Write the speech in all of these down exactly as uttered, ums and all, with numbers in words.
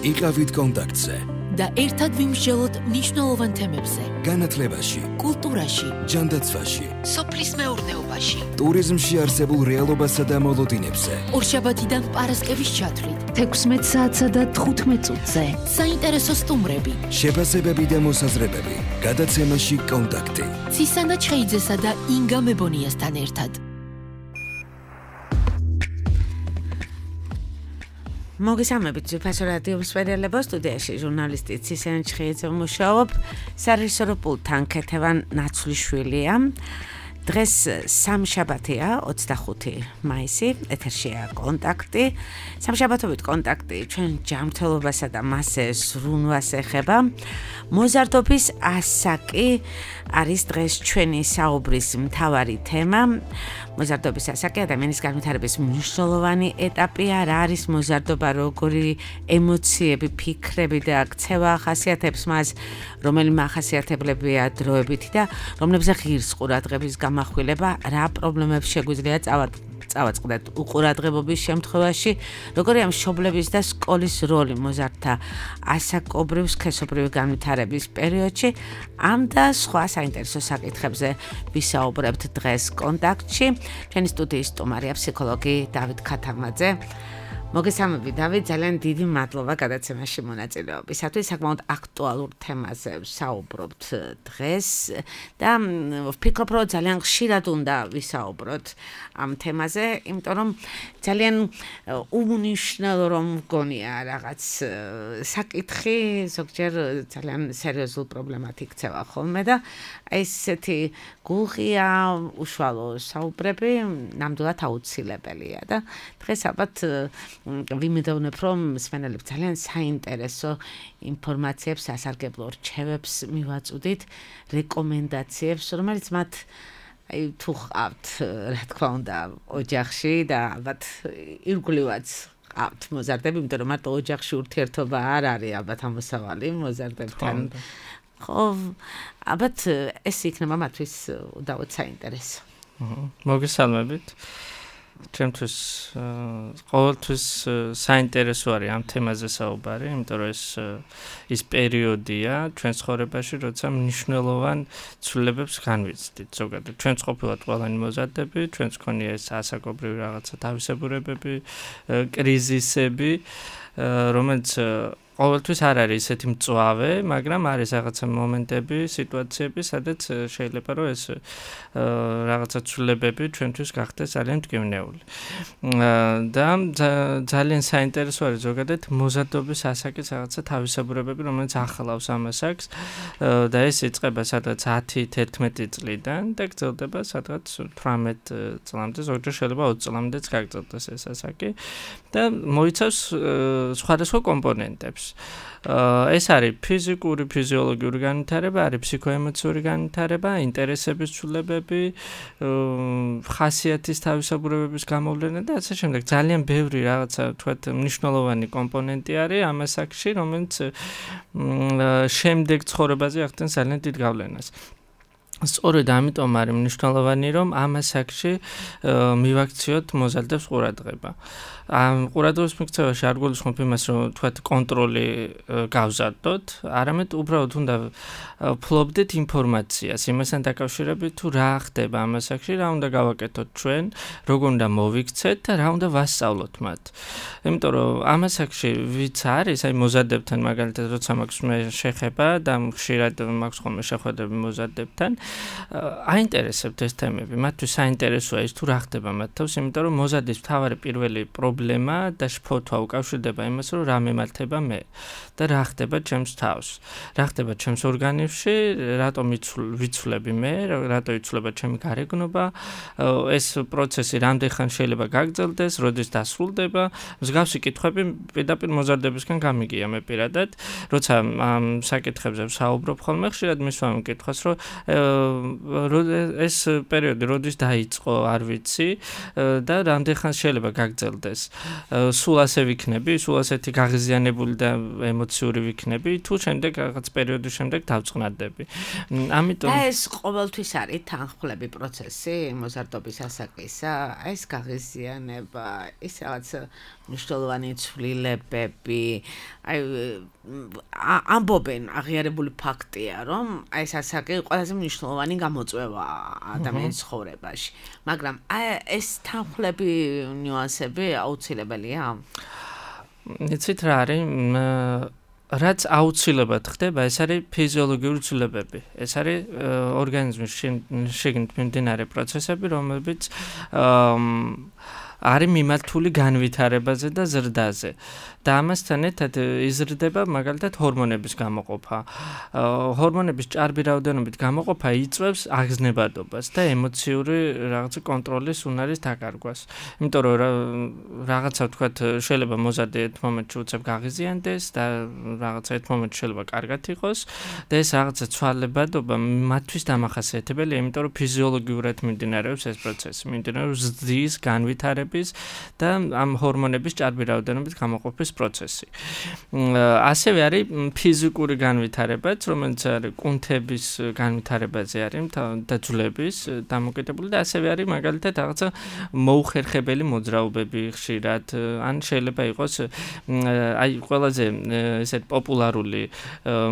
იყავით კონტაქტზე და ერთად ვიმსჯელოთ მნიშვნელოვან თემებზე. განათლებაში, კულტურაში, ჯანდაცვაში, სოფლის მეურნეობაში, ტურიზმში არსებულ რეალობასა და მოლოდინებზე. ორშაბათიდან პარასკევის ჩათვლით, თექვსმეტ საათსა და თხუთმეტ წუთზე. საინტერესო სტუმრები, შეფასებები და მოსაზრებები. გადაცემაში კონტაქტი. ცისანა ჩხეიძესა და ინგა მებონიასთან ერთად. მოგესალმებით ძვირფასო რადიო მსმენელებო, სტუდიაში ჟურნალისტი ცისანა ჩხეიძე მუშაობ, სარეჟისორო პულტთან ქეთევან ნაცვლიშვილია. დღეს სამშაბათია, ოცდახუთი მაისი, ეთერშია კონტაქტი. სამშაბათობით კონტაქტი ჩვენ ჯანმრთელობასა და მასზე ზრუნვას ეხება. მოზარდობის ასაკი არის დღეს ჩვენი საუბრის მთავარი თემა. მოზარდობის ასაკი ადამიანის განვითარების მნიშვნელოვანი ეტაპი, რა არის მოზარდობა, როგორი ემოციები, ფიქრები და ქცევა ახასიათებს მას, რომელიმე ახასიათებლებია დროებითი და რომლებზე ღირს ყურადღების გამახვილება, რა პრობლემებს შეგვიძლია წავაწყდეთ უყურადღებობის შემთხვევაში, როგორია მშობლების და სკოლის როლი მოზარდთა ასაკობრივ სქესობრივი განვითარების პერიოდში. ამ და სხვა საინტერესო საკითხებზე ვისაუბრებთ დღეს კონტაქტში. ჩვენი სტუდიის სტუმარია ფსიქოლოგი დავით ქათამაძე. მოგესალმებით დავით, ძალიან დიდი მადლობა გადაცემაში მონაწილეობისათვის. საკმაოდ აქტუალურ თემაზე ვსაუბრობთ დღეს და ვფიქრობ, რომ ძალიან ხშირად უნდა ვისაუბროთ ამ თემაზე, იმიტომ რომ ძალიან უმნიშვნელო რომ მგონია რაღაც საკითხი, ზოგჯერ ძალიან სერიოზულ პრობლემად იქცევა ხოლმე და ესეთი გულღია უშუალო საუბრები ნამდვილად აუცილებელია და დღეს ალბათ ვიმედოვნებ, რომ მსმენელებს ძალიან საინტერესო ინფორმაციებს, სასარგებლო რჩევებს მივაწვდით, რეკომენდაციებს, რომელიც მათ აი თუ ყავთ, რა თქმა უნდა, ოჯახში და ალბათ ირგვლივაც ყავთ მოზარდები, იმიტომ რომ მარტო ოჯახში ურთიერთობა არ არის ალბათ ამოსავალი მოზარდებთან. ხო, ალბათ ეს იქნება მათთვის უდავოდ საინტერესო. მოგესალმებით. ჩემთვის ყოველთვის საინტერესო არის ამ თემაზე საუბარი, იმიტომ რომ ეს ის პერიოდია ჩვენ ცხოვრებაში, როცა მნიშვნელოვან ცვლილებებს განვიცდით. ზოგადად ჩვენც ყოფილად ყველანი მოზარდები, ჩვენც ქონია ეს ასაკობრივი რაღაცა თავისებურებები, კრიზისები, რომელიც ყოველთვის არ არის ესეთი მწვავე, მაგრამ არის რაღაცა მომენტები, სიტუაციები, სადაც შეიძლება რომ ეს რაღაცა ცვლილებები ჩვენთვის გახდეს ძალიან მტკივნეული. და ძალიან საინტერესო არის ზოგადად მოზარდობის ასაკის რაღაცა თავისებურებები, რომელიც ახლავს ამ ასაკს და ეს იწყება სადღაც ათი თერთმეტი წლიდან და გრძელდება სადღაც თვრამეტ წლამდე, ზოგჯერ შეიძლება ოცი წლამდეც გაგრძელდეს ეს ასაკი და მოიცავს სხვადასხვა კომპონენტებს. ეს არის ფიზიკური, ფიზიოლოგიური განვითარება, არის ფსიქოემოციური განვითარება, ინტერესების ცვლილებები, ხასიათის თავისებურებების გამოვლენა და ასე შემდეგ. ძალიან ბევრი რაღაცა თქვათ მნიშვნელოვანი კომპონენტი არის ამ ასაკში, რომელიც შემდეგ ცხოვრებაზე ახდენს ძალიან დიდ გავლენას. სწორედ ამიტომ არის მნიშვნელოვანი, რომ ამ ასაკში მივაქციოთ მოზარდებს ყურადღება. ამ ყურადღების მიქცევაში არ გულისხმობ იმას, რომ თქვათ კონტროლი გავზარდოთ, არამედ უბრალოდ უნდა ფლობდეთ ინფორმაციას, იმასთან დაკავშირებით თუ რა ხდება ამ ასაკში, რა უნდა გავაკეთოთ ჩვენ, როგორ უნდა მოვიქცეთ და რა უნდა ვასწავლოთ მათ. იმიტომ რომ ამ ასაკში ვიც არის, აი მოზარდებთან მაგალითად როცა მაქვს მე შეხება და ხშირად მაქვს ხოლმე შეხვედრები მოზარდებთან, აინტერესებთ ეს თემები, მათთვის საინტერესოა ის თუ რა ხდება მათ თავს, იმიტომ რომ მოზარდის მთავარი პირველი პრობლემა და შფოთვა უკავშირდება იმას, რომ რა მემართება მე და რა ხდება ჩემს თავს, რა ხდება ჩემს ორგანიზმში, რატომ ვიცვლები მე, რატო იცვლება ჩემი გარეგნობა, ეს პროცესი რამდენხან შეიძლება გაგრძელდეს, როდის დასრულდება. მსგავსი კითხვები პირდაპირ მოზარდებისგან გამიგია მე პირადად, როცა ამ საკითხებზე ვსაუბრობ ხოლმე, ხშირად მისვამ კითხვას, რომ ეს პერიოდი როდის დაიწყო, არ ვიცი და რამდენ ხანს შეიძლება გაგრძელდეს. სულ ასე ვიქნები, სულ ასეთი გაღიზიანებული და ემოციური ვიქნები, თუ შემდეგ რაღაც პერიოდის შემდეგ დავწყნარდები. ამიტომ და ეს ყოველთვის არის თანხმლები პროცესი მოზარდობის ასაკისა, ეს გაღიზიანება, ის რაღაც მნიშვნელოვანი ცვლილებები, აი ამბობენ აღიარებული ფაქტია, რომ აი ეს ასაკი ყველაზე მნიშვნელოვანი გამოწვევა ადამიანის ცხოვრებაში. მაგრამ აი ეს თანხმლები ნიუანსები აუცილებელია? იცით რა არის? რაც აუცილებლად ხდება, ეს არის ფიზიოლოგიური ცვლილებები. ეს არის ორგანიზმის შიგნით მიმდინარე პროცესები, რომლებიც არის მიმართული განვითარებაზე და ზრდაზე. და ამასთან ერთად იზრდება მაგალითად ჰორმონების გამოყოფა. ჰორმონების ჭარბი რაოდენობით გამოყოფა იწვევს აგზნებადობას და ემოციური რაღაც კონტროლის უნარის დაკარგვას. იმიტომ რომ რაღაცა თქვათ შეიძლება მოზარდი ერთ მომენტში უცებ გაღიზიანდეს და რაღაცა ერთ მომენტში შეიძლება კარგად იყოს და ეს რაღაცა ცვალებადობა მათთვის დამახასიათებელია, იმიტომ რომ ფიზიოლოგიურად მიმდინარეობს ეს პროცესი. მიმდინარეობს ზრდის, განვითარების და ამ ჰორმონების ჭარბი რაოდენობით გამოყოფის პროცესი. ასევე არის ფიზიკური განვითარებაც, რომელიც არის კუნთების განვითარებაზე არის და ძვლების დამოკიდებული და ასევე არის მაგალითად რაღაცა მოუხერხებელი მოძრაობები ხშირად, ან შეიძლება იყოს აი ყველაზე ესეთ პოპულარული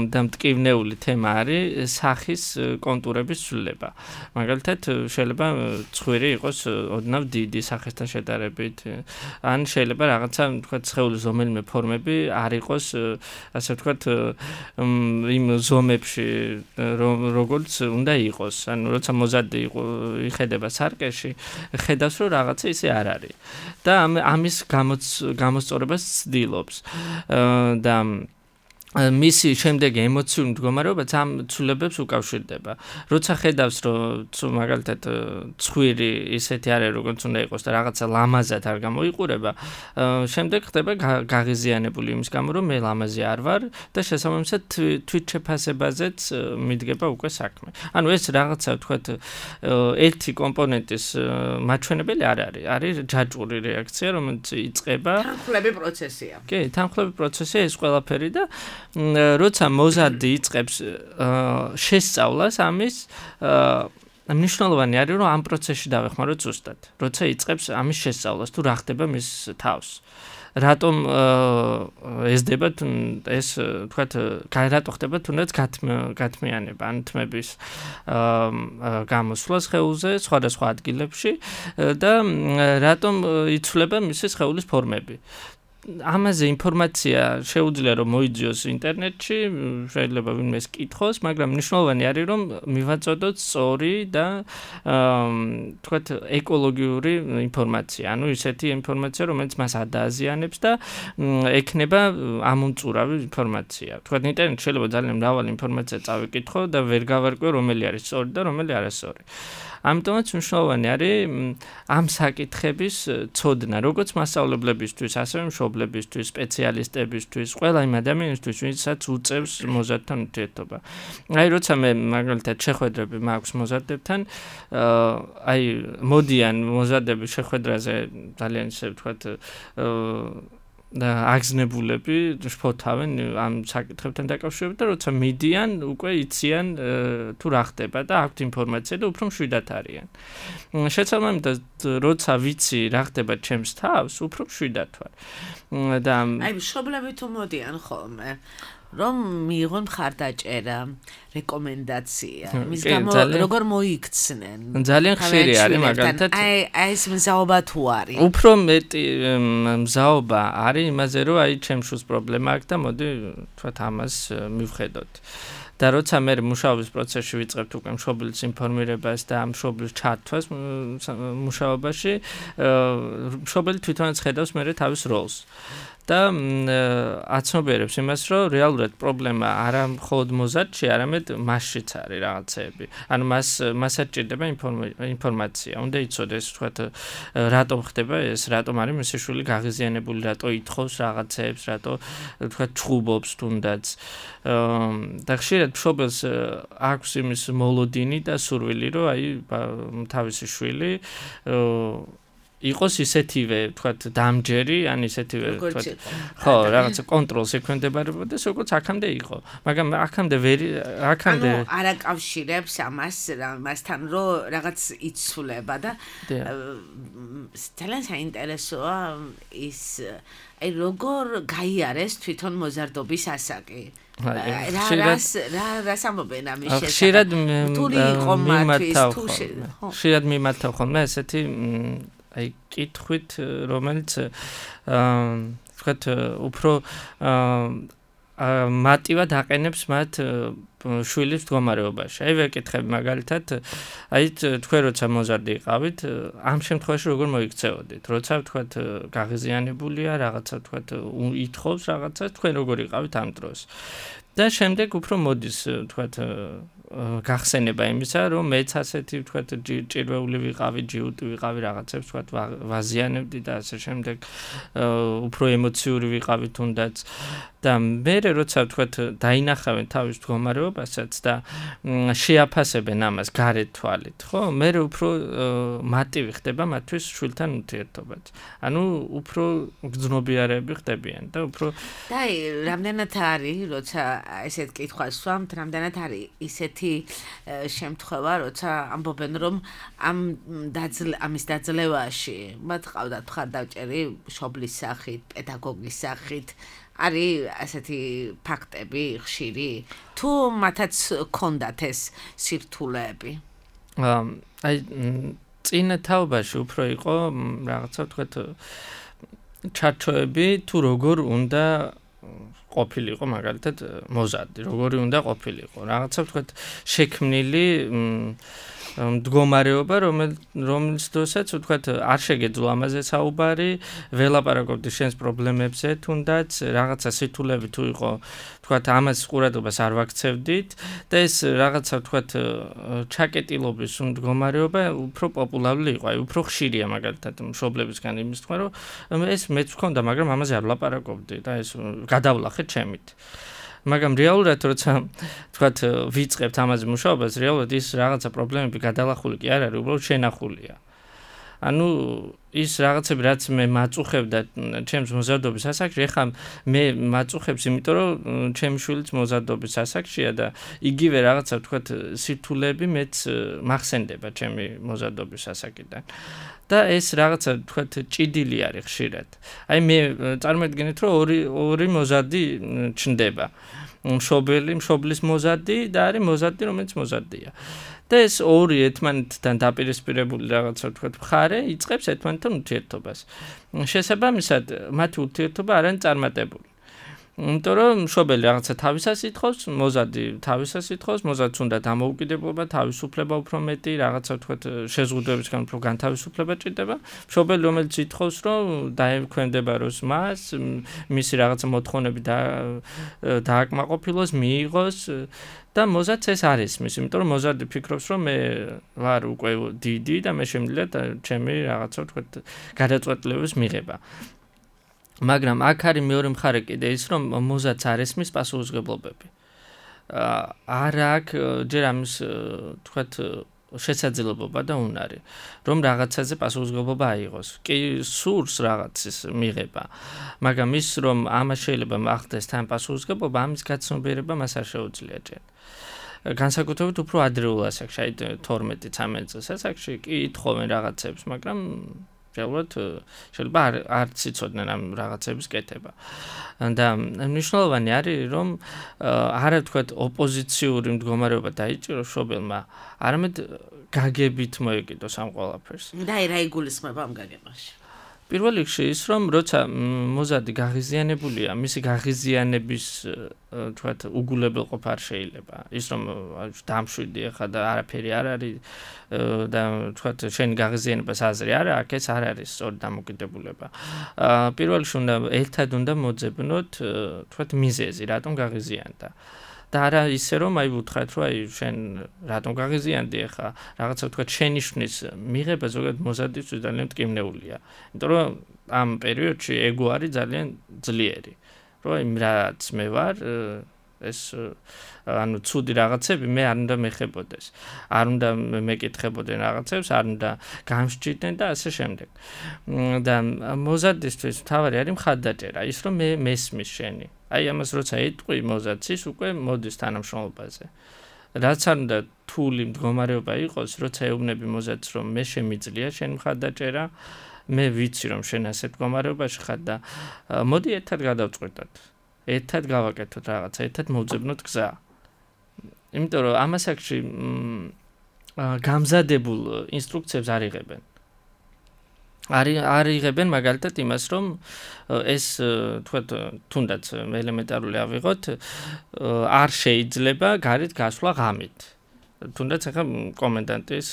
და მტკივნეული თემა არის სახის კონტურების ცვლილება. მაგალითად შეიძლება ცხვირი იყოს ოდნავ დიდი სახესთან შედარებით, ან შეიძლება რაღაცა თქვა სხეულის ზომელი ფორმები არ იყოს ასე ვთქვათ იმ ზომებში როგორც უნდა იყოს. ანუ როცა მოზარდი იხედება სარკეში, ხედავს რომ რაღაცა ისე არ არის. და ამის გამოსწორებას ცდილობს. და მისი შემდეგი ემოციური მდგომარეობაც ამ ცვლილებებს უკავშირდება. როცა ხედავს რომ მაგალითად ცხვირი ისეთი არის როგორც უნდა იყოს და რაღაცა ლამაზად არ გამოიყურება, შემდეგ ხდება გაღიზიანებული იმის გამო რომ მე ლამაზი არ ვარ და შესაბამისად თვითშეფასებაზეც მიდგება უკვე საქმე. ანუ ეს რაღაცა ვთქვათ ერთი კომპონენტის მაჩვენებელი არ არის. არის ჯაჭვური რეაქცია, რომელიც იწყება თანხმლები პროცესია. კი, თანხმლები პროცესია ეს ყველაფერი და როცა მოზარდი იწყებს შესწავლას ამის მნიშვნელოვანი არის რომ ამ პროცესში დავეხმაროთ ზუსტად. როცა იწყებს ამის შესწავლას თუ რა ხდება მის თავს. რატომ ესდება ეს თქვათ რატო ხდება თუნდაც გათმიანება ან თმების გამოსვლა სხეულზე სხვადასხვა ადგილებში და რატომ იცვლება მისი სხეულის ფორმები. ამაზე ინფორმაცია შეუძლია რომ მოიძიოს ინტერნეტში, შეიძლება ვინმეს კითხოს, მაგრამ მნიშვნელოვანი არის რომ მივაწოდოთ სწორი და თქვათ ეკოლოგიური ინფორმაცია. ანუ ისეთი ინფორმაცია, რომელიც მას ადააზიანებს და ექნება ამომწურავი ინფორმაცია. თქვათ ინტერნეტში შეიძლება ძალიან მრავალი ინფორმაცია წავიკითხო და ვერ გავარკვევ რომელი არის სწორი და რომელი არასწორი. ამიტომაც მნიშვნელოვანი არის ამ საკითხების ცოდნა, როგორც მასწავლებლებისთვის, ასევე მშობლებისთვის, სპეციალისტებისთვის, ყველა იმ ადამიანისთვის, ვინცაც უწევს მოზარდთან ურთიერთობა. აი, როცა მე მაგალითად შეხვედრები მაქვს მოზარდებთან, აი, მოდიან მოზარდების შეხვედრაზე ძალიან ისე ვთქვათ და აგზნებულები შფოთავენ ამ საკითხებთან დაკავშირებით და როცა მიდიან უკვე იციან თუ რა ხდება და აქვთ ინფორმაცია და უფრო მშვიდად არიან. შესაბამისად როცა ვიცი რა ხდება ჩემს თავს, უფრო მშვიდად ვარ. და აი მშობლები თუ მოდიან ხოლმე რომ მიიღონ მხარდაჭერა, რეკომენდაცია, მის გამო როგორ მოიქცნენ. ძალიან ხშირი არის მაგალითად. აი აი ეს მზაობა თუ არის. უფრო მეტი მზაობა არის იმაზე, რომ აი ჩემს შულს პრობლემა აქვს და მოდი თქვათ ამას მივხედოთ. და როცა მე მუშაობის პროცესში ვიწყებთ უკვე მშობლის ინფორმირებას და მშობლის ჩართვას მუშაობაში, მშობელი თვითონაც ხედავს მე თავის როლს. და აცნობიერებს იმას, რომ რეალურად პრობლემა არა მხოლოდ მოზარდში, არამედ მასშიც არის რაღაცეები. ანუ მას მასაც ჭირდება ინფორმაცია. უნდა იცოდეს, თქვათ, რატომ ხდება ეს, რატომ არის მისი შვილი გაღიზიანებული, რატო ითხოვს რაღაცეებს, რატო თქვათ ჩხუბობს თუნდაც. და ხშირად მშობელს აქვს იმის მოლოდინი და სურვილი, რომ აი თავისი შვილი იყოს ისეთივე, თქვათ, დამჯერი, ან ისეთივე, თქვათ, ხო, რაღაცა კონტროლს ექვემდებარებოდეს, როგორც აქამდე იყო. მაგრამ აქამდე ვერ აქამდე ანუ არ აკავშირებს ამას მასთან, რომ რაღაც იცვლება და ძალიან საინტერესოა ის აი როგორ გაიარეს თვითონ მოზარდობის ასაკი. რა რას რა რას ამბობენ ამის შესახებ? ხშირად მიმართავ ხშირად მიმართავ ხოლმე ესეთი აი კითხვით, რომელიც აა თქვათ უფრო მარტივად აყენებს მათ შვილის მდგომარეობაში. აი ვეკითხები მაგალითად, აი თქვენ როცა მოზარდი იყავით, ამ შემთხვევაში როგორ მოიქცეოდით? როცა თქვათ გაღიზიანებულია, რაღაცა თქვათ ითხოვს რაღაცა, თქვენ როგორ იყავით ამ დროს? და შემდეგ უფრო მოდის თქვათ გახსენება იმისა, რომ მეც ასეთი თქვათ ჭირვეული ვიყავი, ჯიუტი ვიყავი, რაღაცებს თქვათ ვაზიანებდი და ასე შემდეგ უფრო ემოციური ვიყავი თუნდაც და მე როცა თქვათ დაინახავენ თავის მდგომარეობასაც და შეაფასებენ ამას გარეთ თვალით, ხო? მე უფრო მარტივი ხდება მათთვის შვილთან ურთიერთობაც. ანუ უფრო გრძნობიარეები ხდებიან და უფრო და აი რამდენად არის, როცა ესეთ კითხვას ვსვამთ, რამდენად არის ისეთი შემთხვევა, როცა ამბობენ, რომ ამ ამის დაძლევაში მათ ყავდათ მხარდაჭერი მშობლის სახით, პედაგოგის სახით, არის ასეთი ფაქტები ხშირი, თუ მათაც ჰქონდათ ეს სირთულეები? აი წინა თაობაში უფრო იყო რაღაცა თქვათ ჩარჩოები, თუ როგორ უნდა ყოფილიყო მაგალითად მოზარდი, როგორი უნდა ყოფილიყო. რაღაცა თქვათ შექმნილი მდგომარეობა, რომელიც დროსაც თქვათ არ შეგეძლო ამაზე საუბარი, ველაპარაკობდი შენს პრობლემებზე, თუნდაც რაღაცა სირთულეები თუ იყო, თქვათ ამას ყურადღებას არ ვაქცევდით და ეს რაღაცა თქვათ ჩაკეტილობის მდგომარეობა უფრო პოპულარული იყო, აი უფრო ხშირია მაგალითად მშობლებისგან იმის თქვა, რომ ეს მეც ვქონდა, მაგრამ ამაზე არ ვლაპარაკობდი და ეს გადავლახე ჩემით. მაგრამ რეალურად როცა თქვათ ვიწყებთ ამაზე მუშაობას, რეალურად ის რაღაცა პრობლემები გადალახული კი არ არის, უბრალოდ შენახულია. ანუ ის რაღაცები რაც მე მაწუხებდა ჩემს მოზარდობის ასაკში, ეხლა მე მაწუხებს, იმიტომ რომ ჩემი შვილიც მოზარდობის ასაკშია და იგივე რაღაცა თქვათ სირთულეები მეც მახსენდება ჩემი მოზარდობის ასაკიდან. და ეს რაღაცა თქვათ ჭიდილი არის ხშირად. აი მე წარმოედგინეთ, რომ ორი ორი მოზარდი ჩნდება. მშობელი, მშობლის მოზარდი და არის მოზარდი, რომელიც მოზარდია. და ეს ორი ერთმანეთთან დაპირისპირებული რაღაცა თქვათ მხარე იწყებს ერთმანეთთან ურთიერთობას. შესაბამისად, მათი ურთიერთობა არ არის წარმატებული. იმიტომ რომ მშობელი რაღაცა თავისას ითხოვს, მოზარდი თავისას ითხოვს, მოზარდს უნდა დამოუკიდებლობა, თავისუფლება უფრო მეტი, რაღაცა თქვათ შეზღუდვებისგან უფრო განთავისუფლება ჭირდება. მშობელი რომელიც ითხოვს, რომ დაექვემდებაროს მას, მისი რაღაცა მოთხოვნები დააკმაყოფილოს, მიიღოს და მოზარდს ეს არ ისმის, იმიტომ რომ მოზარდი ფიქრობს, რომ მე ვარ უკვე დიდი და მე შემიძლია ჩემი რაღაცა თქვათ გადაწყვეტილების მიღება. მაგრამ აქ არის მეორე მხარე კიდე ის, რომ მოზარდს არ ესმის პასუხისმგებლობები. არ აქვს ჯერ ამის თქვათ შესაძლებლობა და უნარი, რომ რაღაცაზე პასუხისმგებლობა აიღოს. კი სურს რაღაცის მიღება, მაგრამ ის რომ ამას შეიძლება ახდეს თან პასუხისმგებლობა, ამის გაცნობიერება მას არ შეუძლია ჯერ. განსაკუთრებით უფრო ადრეულ ასაკში, აი თორმეტი ცამეტი წლის ასაკში კი ითხოვენ რაღაცებს, მაგრამ რეალურად შეიძლება არც იცოდნენ ამ რაღაცების კეთება. და მნიშვნელოვანი არის, რომ არა თქვათ ოპოზიციური მდგომარეობა დაიჭიროს მშობელმა, არამედ გაგებით მოეკიდოს ამ ყველაფერს. და რა იგულისხმება ამ გაგებაში? პირველ რიგში ის, რომ როცა მოზარდი გაღიზიანებულია, მისი გაღიზიანების თქვათ უგულებელყოფა არ შეიძლება. ის რომ დამშვიდი ახლა და არაფერი არ არის და თქვათ შენი გაღიზიანებას აზრი არა, აქ ეს არ არის სწორი დამოკიდებულება. პირველ რიგში უნდა ერთად უნდა მოძებნოთ თქვათ მიზეზი, რატომ გაღიზიანდა. და არა ისე რომ აი ვუთხრათ, რომ აი შენ რატომ გაღიზიანდი ახლა, რაღაცა თქვათ შენიშვნის მიღება ზოგადად მოზარდისთვის ძალიან მტკივნეულია. იმიტომ რომ ამ პერიოდში ეგო არის ძალიან ძლიერი. რომ აი რაც მე ვარ, ეს ანუ ცუდი რაღაცები მე არ უნდა მეხებოდეს. არ უნდა მეკითხებოდნენ რაღაცებს, არ უნდა გამსჭირდნენ და ასე შემდეგ. და მოზარდისთვის თავარი არის მხარდაჭერა, ის რომ მე მესმის შენი. აი ამას როცა ეტყვი მოზარდს ის უკვე მოდის თანამშრომლობაზე. რაც არ უნდა თული მდგომარეობა იყოს, როცა ეუბნები მოზარდს რომ მე შემიძლია შენ მხარდაჭერა, მე ვიცი რომ შენ ასე მდგომარეობაში ხარ და მოდი ერთად გადავწყვეტოთ. ერთად გავაკეთოთ რაღაცა, ერთად მოვძებნოთ გზა. იმიტომ რომ ამ ასაკში გამზადებულ ინსტრუქციებს არ იღებენ. არ არ იღებენ მაგალითად იმას, რომ ეს თქვათ თუნდაც ელემენტარული ავიღოთ, არ შეიძლება გარეთ გასვლა ღამით. თუნდაც ახლა კომენდანტის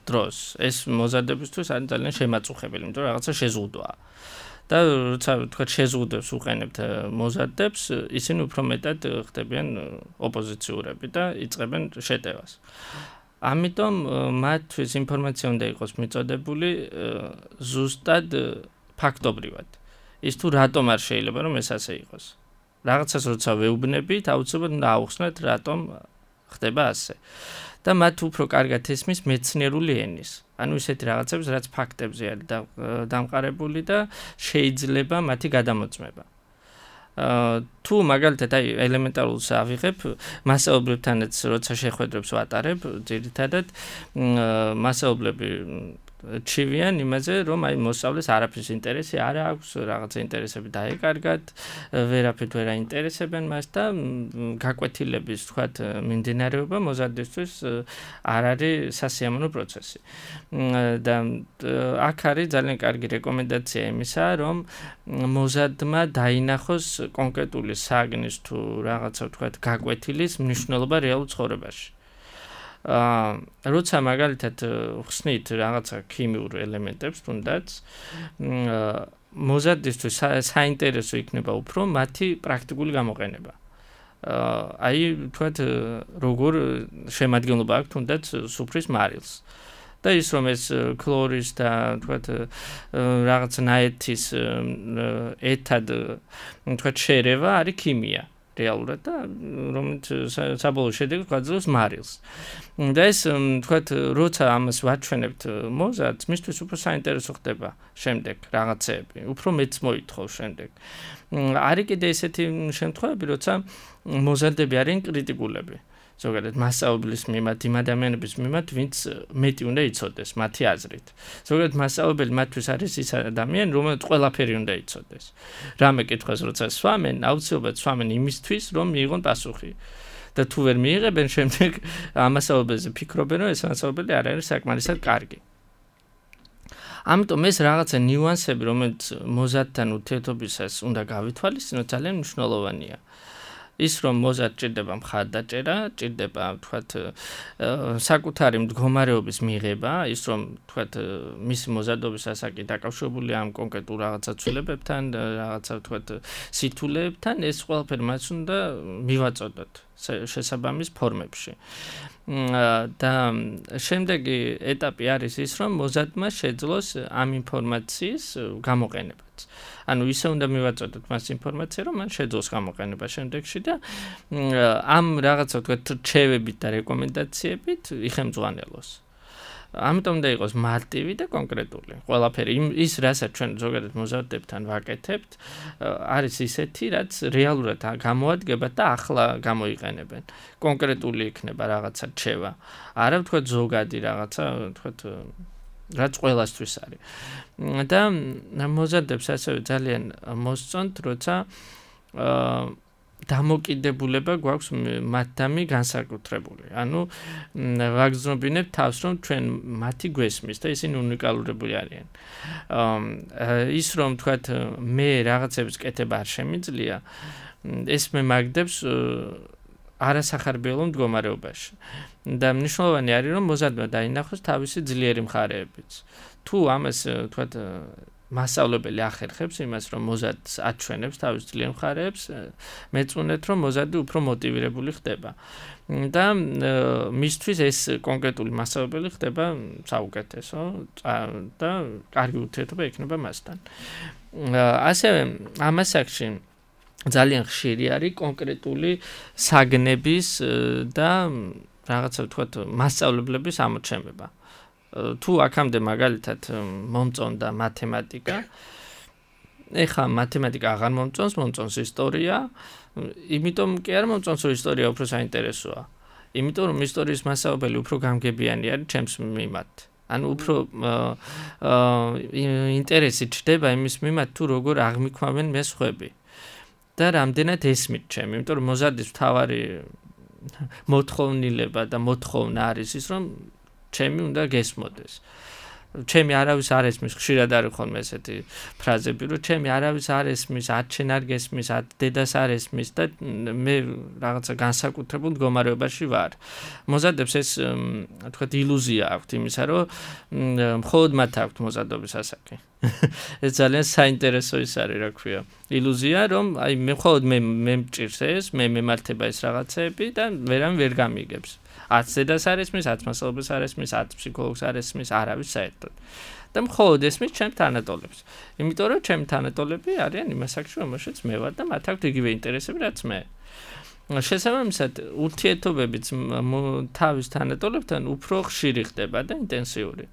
დროს ეს მოზარდებისთვის არის ძალიან შემაწუხებელი, იმიტომ რომ რაღაცა შეზღუდვაა. და როცა თქვათ შეზღუდვებს უყენებთ მოზარდებს, ისინი უფრო მეტად ხდებიან ოპოზიციურები და იწყებენ შეტევას. ამიტომ მათთვის ინფორმაცია უნდა იყოს მიწოდებული ზუსტად ფაქტობრივად. ის თუ რატომ არ შეიძლება რომ ეს ასე იყოს. რაღაცას როცა ვეუბნებით, აუცილებლად უნდა აუხსნათ რატომ ხდება ასე. და მათ უფრო კარგად ესმის მეცნიერული ენის. ანუ ისეთი რაღაცებს, რაც ფაქტებზე არის დამყარებული და შეიძლება მათი გადამოწმება. თუ მაგალითად აი ელემენტარულს ავიღებ, მასაობლებთანაც როცა შეხვედრებს ვატარებ, ძირითადად მასაობლები ჩივიან იმაზე, რომ აი მოსწავლეს არაფრის ინტერესი არ აქვს, რაღაცა ინტერესები დაეკარგათ, ვერაფრით ვერ აინტერესებენ მას და გაკვეთილების თქვათ მიმდინარეობა მოზარდისთვის არ არის სასიამოვნო პროცესი. და აქ არის ძალიან კარგი რეკომენდაცია იმისა, რომ მოზარდმა დაინახოს კონკრეტული საგნის თუ რაღაცა თქვათ გაკვეთილის მნიშვნელობა რეალურ ცხოვრებაში. აა როცა მაგალითად ხსნით რაღაცა ქიმიურ ელემენტებს თუნდაც მოზარდისთვის საინტერესო იქნება უფრო მათი პრაქტიკული გამოყენება. აა აი თქვათ როგორ შემადგენლობა აქვს თუნდაც სუფრის მარილს. და ის რომ ეს ქლორის და თქვათ რაღაც ნაერთის ერთად თქვათ შერევა არის ქიმია. რეალურად და რომელიც საბოლოო შედეგს გვაძლევს მარილს. და ეს თქვათ როცა ამას ვაჩვენებთ მოზარდს, მისთვის უფრო საინტერესო ხდება შემდეგ რაღაცეები, უფრო მეც მოითხოვს შემდეგ. არის კიდე ესეთი შემთხვევები, როცა მოზარდები არიან კრიტიკულები. ზოგადად მასწავლებლის მიმართ, იმ ადამიანების მიმართ, ვინც მეტი უნდა იცოდეს მათი აზრით. ზოგადად მასწავლებელი მათთვის არის ის ადამიანი, რომელიც ყველაფერი უნდა იცოდეს. რამე კითხვას როცა სვამენ, აუცილებლად სვამენ იმისთვის, რომ მიიღონ პასუხი. და თუ ვერ მიიღებენ, შემდეგ ამასწავლებელზე ფიქრობენ, რომ ეს მასწავლებელი არ არის საკმარისად კარგი. ამიტომ ეს რაღაცა ნიუანსები, რომელიც მოზარდთან ურთიერთობისას უნდა გავითვალისწინოთ, ძალიან მნიშვნელოვანია. ის რომ მოზარდს ჭირდება მხარდაჭერა, ჭირდება თქვათ საკუთარი მდგომარეობის მიღება, ის რომ თქვათ მისი მოზარდობის ასაკი დაკავშირებულია ამ კონკრეტულ რაღაცა ცვლილებებთან, რაღაცა თქვათ სითულეებთან, ეს ყველაფერი მას უნდა მივაწოდოთ შესაბამის ფორმებში. და შემდეგი ეტაპი არის ის, რომ მოზარდმა შეძლოს ამ ინფორმაციის გამოყენებაც. ანუ ისე უნდა მივაწოდოთ მას ინფორმაცია, რომ მან შეძლოს გამოყენება შემდეგში და ამ რაღაცა თქვათ რჩევებით და რეკომენდაციებით იხემძღვანელოს. ამიტომ უნდა იყოს მარტივი და კონკრეტული. ყველაფერი ის, რასაც ჩვენ ზოგადად მოზარდებთან ვაკეთებთ, არის ისეთი, რაც რეალურად გამოადგება და ახლა გამოიყენებენ. კონკრეტული იქნება რაღაცა რჩევა. არა ვთქვათ ზოგადი რაღაცა, ვთქვათ რაც ყველასთვის არის. და მოზარდებს ასევე ძალიან მოსწონთ, როცა დამოკიდებულება გვაქვს მათთამი განსაკუთრებული. ანუ ვაგრძნობინებთ თავს, რომ ჩვენ მათი გვესმის და ისინი უნიკალურები არიან. ის რომ თქვათ მე რაღაცების კეთება არ შემიძლია, ეს მე მაგდებს არასახარბიელო მდგომარეობაში. და მნიშვნელოვანი არის, რომ მოზარდმა დაინახოს თავისი ძლიერი მხარეებიც. თუ ამას თქვათ მასწავლებელი ახერხებს იმას, რომ მოზარდს აჩვენებს თავის ძლიერ მხარეებს, მეწუნეთ, რომ მოზარდი უფრო მოტივირებული ხდება. და მისთვის ეს კონკრეტული მასწავლებელი ხდება საუკეთესო და კარგი ურთიერთობა ექნება მასთან. ასევე ამ ასაკში ძალიან ხშირი არის კონკრეტული საგნების და რაღაცა ვთქვათ მასწავლებლების ამოჩემება. თუ აქამდე მაგალითად მომწონდა მათემატიკა, ეხლა მათემატიკა აღარ მომწონს, მომწონს ისტორია, იმიტომ კი არ მომწონს, რომ ისტორია უფრო საინტერესოა. იმიტომ რომ ისტორიის მასწავლებელი უფრო გამგებიანი არის ჩემს მიმართ. ანუ უფრო ინტერესი ჩდება იმის მიმართ, თუ როგორ აღმიქვამენ მესხვები. და რამდენად ესმით ჩემი, იმიტომ რომ მოზარდის მთავარი მოთხოვნილება და მოთხოვნა არის ის, რომ ჩემი უნდა გესმოდეს. ჩემი არავის არ ესმის, ხშირად არის ხოლმე ესეთი ფრაზები, რომ ჩემი არავის არ ესმის, ათ შენ არ გესმის, ათ დედას არ ესმის და მე რაღაცა განსაკუთრებულ მდგომარეობაში ვარ. მოზარდებს ეს თქვათ ილუზია აქვთ იმისა, რომ მხოლოდ მათ აქვთ მოზარდობის ასაკი. ეს ძალიან საინტერესო ის არის, რა ქვია. ილუზია, რომ აი მე მხოლოდ მე მე მჭირს ეს, მე მემართება ეს რაღაცეები და ვერამ ვერ გამიგებს. ათ დედას არ ესმის, ათ მასწავლებელს არ ესმის, ათ ფსიქოლოგს არ ესმის, არავის საერთოდ. და მხოლოდ ესმის ჩემს თანატოლებს. იმიტომ რომ ჩემი თანატოლები არიან იმ ასაკში, რომელშიც მე ვარ და მათ აქვთ იგივე ინტერესები, რაც მე. შესაბამისად, ურთიერთობებიც თავის თანატოლებთან უფრო ხშირი ხდება და ინტენსიური.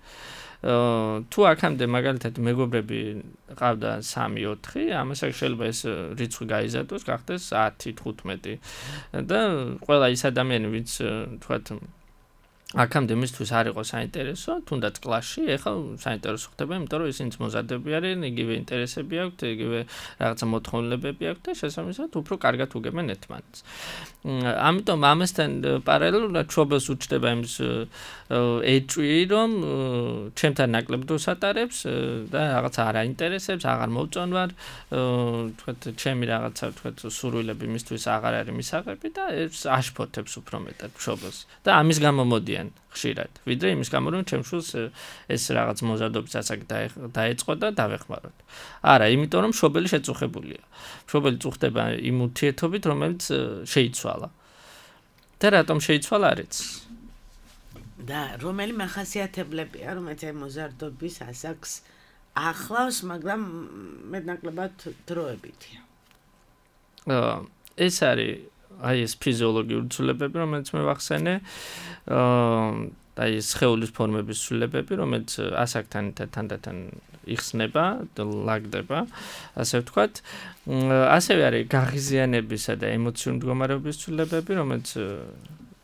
თუ აქამდე მაგალითად მეგობრები ყავდა სამი ოთხი, ამასაც შეიძლება ეს რიცხვი გაიზარდოს, გახდეს ათი თხუთმეტი და ყველა ის ადამიანი, ვინც თქვათ აქამდე მისთვის არ იყო საინტერესო, თუნდაც კლასში, ეხლა საინტერესო ხდება, იმიტომ რომ ისინიც მოზარდები არიან, იგივე ინტერესები აქვთ, იგივე რაღაცა მოთხოვნილებები აქვთ და შესაბამისად უფრო კარგად უგებენ ერთმანეთს. ამიტომ ამასთან პარალელურად მშობელს უჩნდება იმის ეჭვი, რომ ჩემთან ნაკლებ დროს ატარებს და რაღაცა არ აინტერესებს, აღარ მოვწონვარ, თქვათ ჩემი რაღაცა თქვათ სურვილები მისთვის აღარ არის მისაღები და ეს აშფოთებს უფრო მეტად მშობელს და ამის გამო მოდიან ხშირად, ვიდრე იმის გამო რომ ჩემს შულს ეს რაღაც მოზარდობის ასაკი დაეწყო და დავეხმაროთ. არა, იმიტომ რომ მშობელი შეწუხებულია. მშობელი წუხდება იმ ურთიერთობით, რომელიც შეიცვალა. და რატომ შეიცვალა არიც? და რომელი მახასიათებლებია, რომელიც მოზარდობის ასაკს ახლავს, მაგრამ მეტნაკლებად დროებითია. ეს არის აი ეს ფიზიოლოგიური ცვლილებები, რომელიც მე ვახსენე, აი ეს სხეულის ფორმების ცვლილებები, რომელიც ასაკთან თანდათან იხსნება და ლაგდება, ასე ვთქვათ. ასევე არის გაღიზიანებისა და ემოციური მდგომარეობის ცვლილებები, რომელიც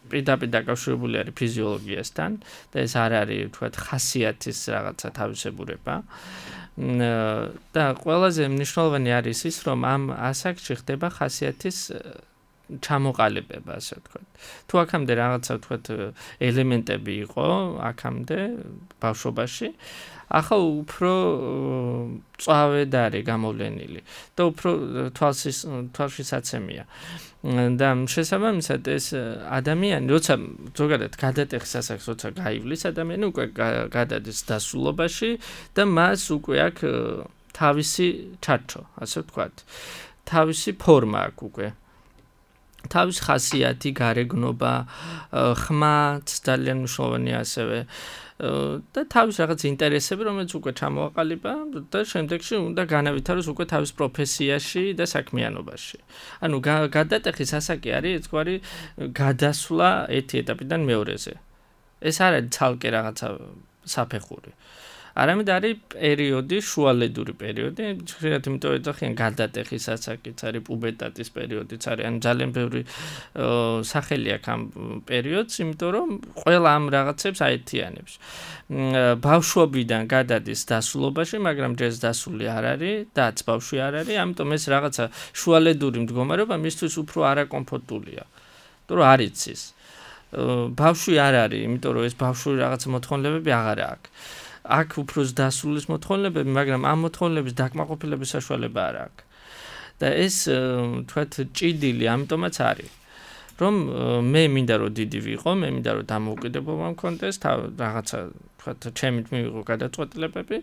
პირდაპირ დაკავშირებული არის ფიზიოლოგიასთან და ეს არ არის ვთქვათ ხასიათის რაღაცა თავისებურება. და ყველაზე მნიშვნელოვანი არის ის, რომ ამ ასაკში ხდება ხასიათის ჩამოყალიბება, ასე ვთქვათ. თუ აქამდე რაღაცა ვთქვათ ელემენტები იყო, აქამდე ბავშვობაში, ახლა უფრო წავედ არის გამოვლენილი და უფრო თვალსის თვალშისაცემია. და შესაბამისად ეს ადამიანი, როცა ზოგადად გადატეხის ასაკს, როცა გაივლის ადამიანი, უკვე გადადის დასულობაში და მას უკვე აქვს თავისი ჩარჩო, ასე ვთქვათ. თავისი ფორმა აქვს უკვე. თავის ხასიათი, გარეგნობა, ხმაც ძალიან მნიშვნელოვანია ასევე და თავის რაღაც ინტერესები, რომელიც უკვე ჩამოაყალიბა და შემდეგში უნდა განავითაროს უკვე თავის პროფესიაში და საქმიანობაში. ანუ გადატეხის ასაკი არის ერთგვარი გადასვლა ერთი ეტაპიდან მეორეზე. ეს არ არის ცალკე რაღაცა საფეხური. არამედ არის პერიოდი, შუალედური პერიოდი, ხშირად იმიტომ ეძახიან გადატეხის ასაკიც არის პუბერტატის პერიოდიც არის, ანუ ძალიან ბევრი სახელი აქვს ამ პერიოდს, იმიტომ რომ ყველა ამ რაღაცებს აერთიანებს. ბავშვობიდან გადადის დასულობაში, მაგრამ ჯერ დასული არ არის, დაც ბავშვი არ არის, ამიტომ ეს რაღაცა შუალედური მდგომარეობა მისთვის უფრო არაკომფორტულია. იმიტომ რომ არ იცის. ბავშვი არ არის, იმიტომ რომ ეს ბავშვური რაღაცა მოთხოვნილებები აღარ აქვს. აქ უფრო დასრულის მოთხოვნილებები, მაგრამ ამ მოთხოვნილების დაკმაყოფილების საშუალება არ აქვს. და ეს თქვათ ჭიდილი ამიტომაც არის, რომ მე მინდა რომ დიდი ვიყო, მე მინდა რომ დამოუკიდებლობა მქონდეს, რაღაცა თქვათ ჩემით მივიღო გადაწყვეტილებები,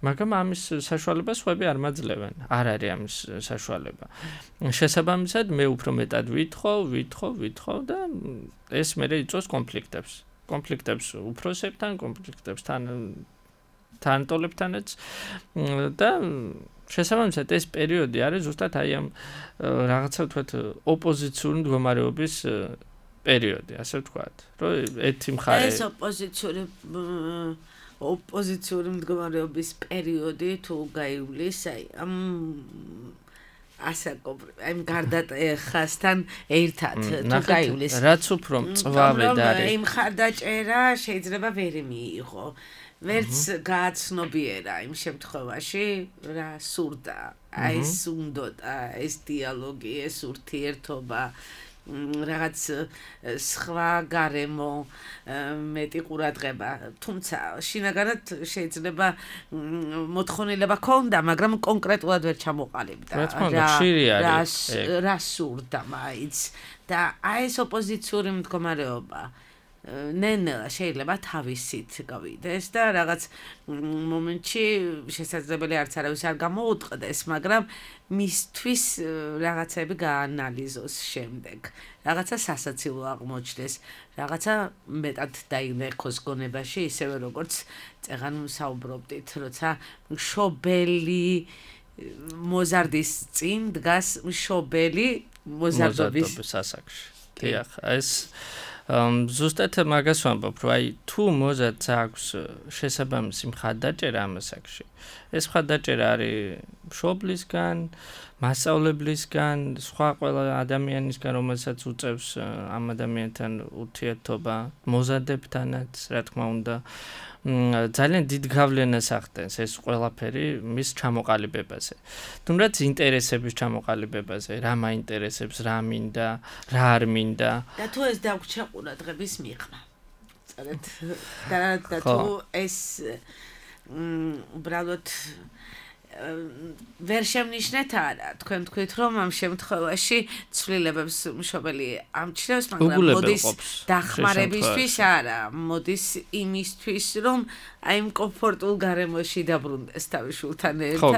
მაგრამ ამის საშუალება სხვები არ მაძლევენ. არ არის ამის საშუალება. შესაბამისად, მე უფრო მეტად ვითხოვ, ვითხოვ, ვითხოვ და ეს მერე იწვევს კონფლიქტებს. კონფლიქტებს უფროსებთან, კონფლიქტებს თან თანატოლებთანაც და შესაბამისად ეს პერიოდი არის ზუსტად აი ამ რაღაცა ვთქვათ ოპოზიციური მდგომარეობის პერიოდი, ასე ვთქვათ, რომ ერთი მხარე ეს ოპოზიციური ოპოზიციური მდგომარეობის პერიოდი თუ გაივლის, აი ამ ასაკობრივ, აი გარდატეხასთან ერთად თუ გაივლის. რაც უფრო მწვავედ არის. იმ მხარდაჭერა შეიძლება ვერ მიიღო. ვერც გააცნობიერა იმ შემთხვევაში, რა სურდა, აი ეს უნდოდა, ეს დიალოგი, ეს ურთიერთობა, რაღაც სხვა გარემო, მეტი ყურადღება, თუმცა შინაგანად შეიძლება მოთხოვნილება ქონდა, მაგრამ კონკრეტულად ვერ ჩამოყალიბდა. რა რა სურდა მაინც და აი ეს ოპოზიციური მდგომარეობა ნენელა შეიძლება თავისით გავიდეს და რაღაც მომენტში შესაძლებელი არც არავის არ გამოუტყდეს, მაგრამ მისთვის რაღაცები გაანალიზოს შემდეგ. რაღაცა სასაცილო აღმოჩნდეს, რაღაცა მეტად დაინერხოს გონებაში, ისევე როგორც წეღან საუბრობდით, როცა მშობელი მოზარდის წინ დგას მშობელი მოზარდობის ასაკში. დიახ, ეს ზუსტად მაგას ვამბობ, რომ აი თუ მოზარდს აქვს შესაბამისი მხარდაჭერა ამ ასაკში, ეს მხარდაჭერა არის მშობლისგან, მასწავლებლისგან, სხვა ყველა ადამიანისგან, რომელსაც უწევს ამ ადამიანთან ურთიერთობა, მოზარდებთანაც, რა თქმა უნდა, ძალიან დიდ გავლენას ახდენს ეს ყველაფერი მის ჩამოყალიბებაზე. თუნდაც ინტერესების ჩამოყალიბებაზე, რა მაინტერესებს, რა მინდა, რა არ მინდა. და თუ ეს დაგვრჩა ყურადღების მიღმა. სწორედ და თუ ეს უბრალოდ ვერ შემნიშნეთ არა, თქვენ თქვით რომ ამ შემთხვევაში ცვლილებებს მშობელი ამჩნევს, მაგრამ მოდის დახმარებისთვის არა, მოდის იმისთვის რომ აი იმ კომფორტულ გარემოში დაბრუნდეს თავის შულთან ერთად. ხო,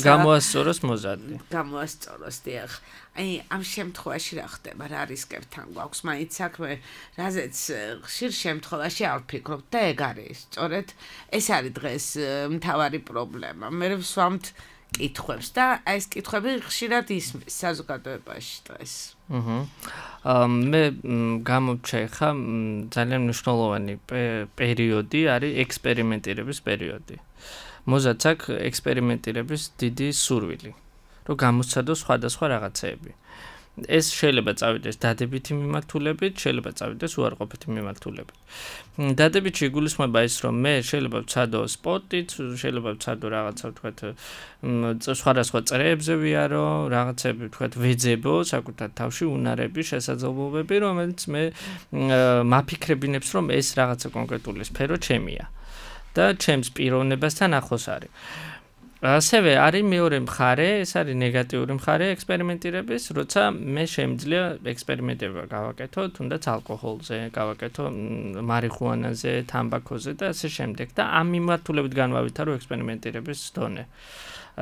გამოასწოროს მოზარდი. გამოასწოროს, დიახ. აი ამ შემთხვევაში რა ხდება, რა რისკებთან გვაქვს მაინც საქმე, რაზეც ხშირ შემთხვევაში არ ვფიქრობთ და ეგ არის, სწორედ ეს არის დღეს მთავარი პრობლემა. მე ვსვამთ კითხვებს და აი ეს კითხვები ხშირად ისმის საზოგადოებაში დღეს. აჰა. მე გამოვჩა ხა ძალიან მნიშვნელოვანი პერიოდი არის ექსპერიმენტირების პერიოდი. მოზარდს აქვს ექსპერიმენტირების დიდი სურვილი. რომ გამოსცადოს სხვადასხვა რაღაცეები. ეს შეიძლება წავიდეს დადებითი მიმართულებით, შეიძლება წავიდეს უარყოფითი მიმართულებით. დადებითი იგულისხმება ის, რომ მე შეიძლება ვცადო სპორტით, შეიძლება ვცადო რაღაცა ვთქვათ, სხვადასხვა წრეებზე ვიარო, რაღაცები ვთქვათ ვეძებო საკუთარ თავში უნარები, შესაძლებლობები, რომელიც მე მაფიქრებინებს, რომ ეს რაღაცა კონკრეტული სფერო ჩემია და ჩემს პიროვნებასთან ახლოს არის. ასევე არის მეორე მხარე, ეს არის ნეგატიური მხარე ექსპერიმენტირების, როცა მე შემიძლია ექსპერიმენტება გავაკეთო, თუნდაც ალკოჰოლზე, გავაკეთო მარიხუანაზე, თამბაქოზე და ასე შემდეგ და ამ მიმართულებით განვავითარო ექსპერიმენტირების დონე,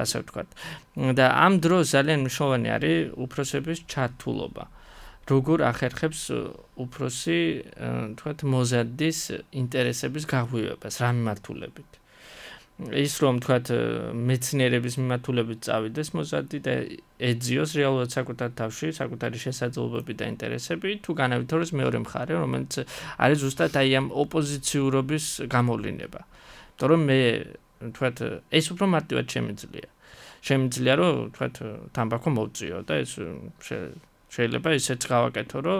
ასე ვთქვათ. და ამ დროს ძალიან მნიშვნელოვანი არის უფროსების ჩართულობა. როგორ ახერხებს უფროსი, ვთქვათ, მოზარდის ინტერესების გაღვივებას, რა მიმართულებით. ის რომ თქვათ მეცნიერების მიმართულებით წავიდეს მოზარდი და ეძიოს რეალურად საკუთარ თავში საკუთარი შესაძლებლობები და ინტერესები თუ განავითაროს მეორე მხარე რომელიც არის ზუსტად აი ამ ოპოზიციურობის გამოვლინება. იმიტომ რომ მე თქვათ ეს უფრო მარტივად შემიძლია. შემიძლია რომ თქვათ თამბაქო მოვწიო და ეს შეიძლება ისეც გავაკეთო რომ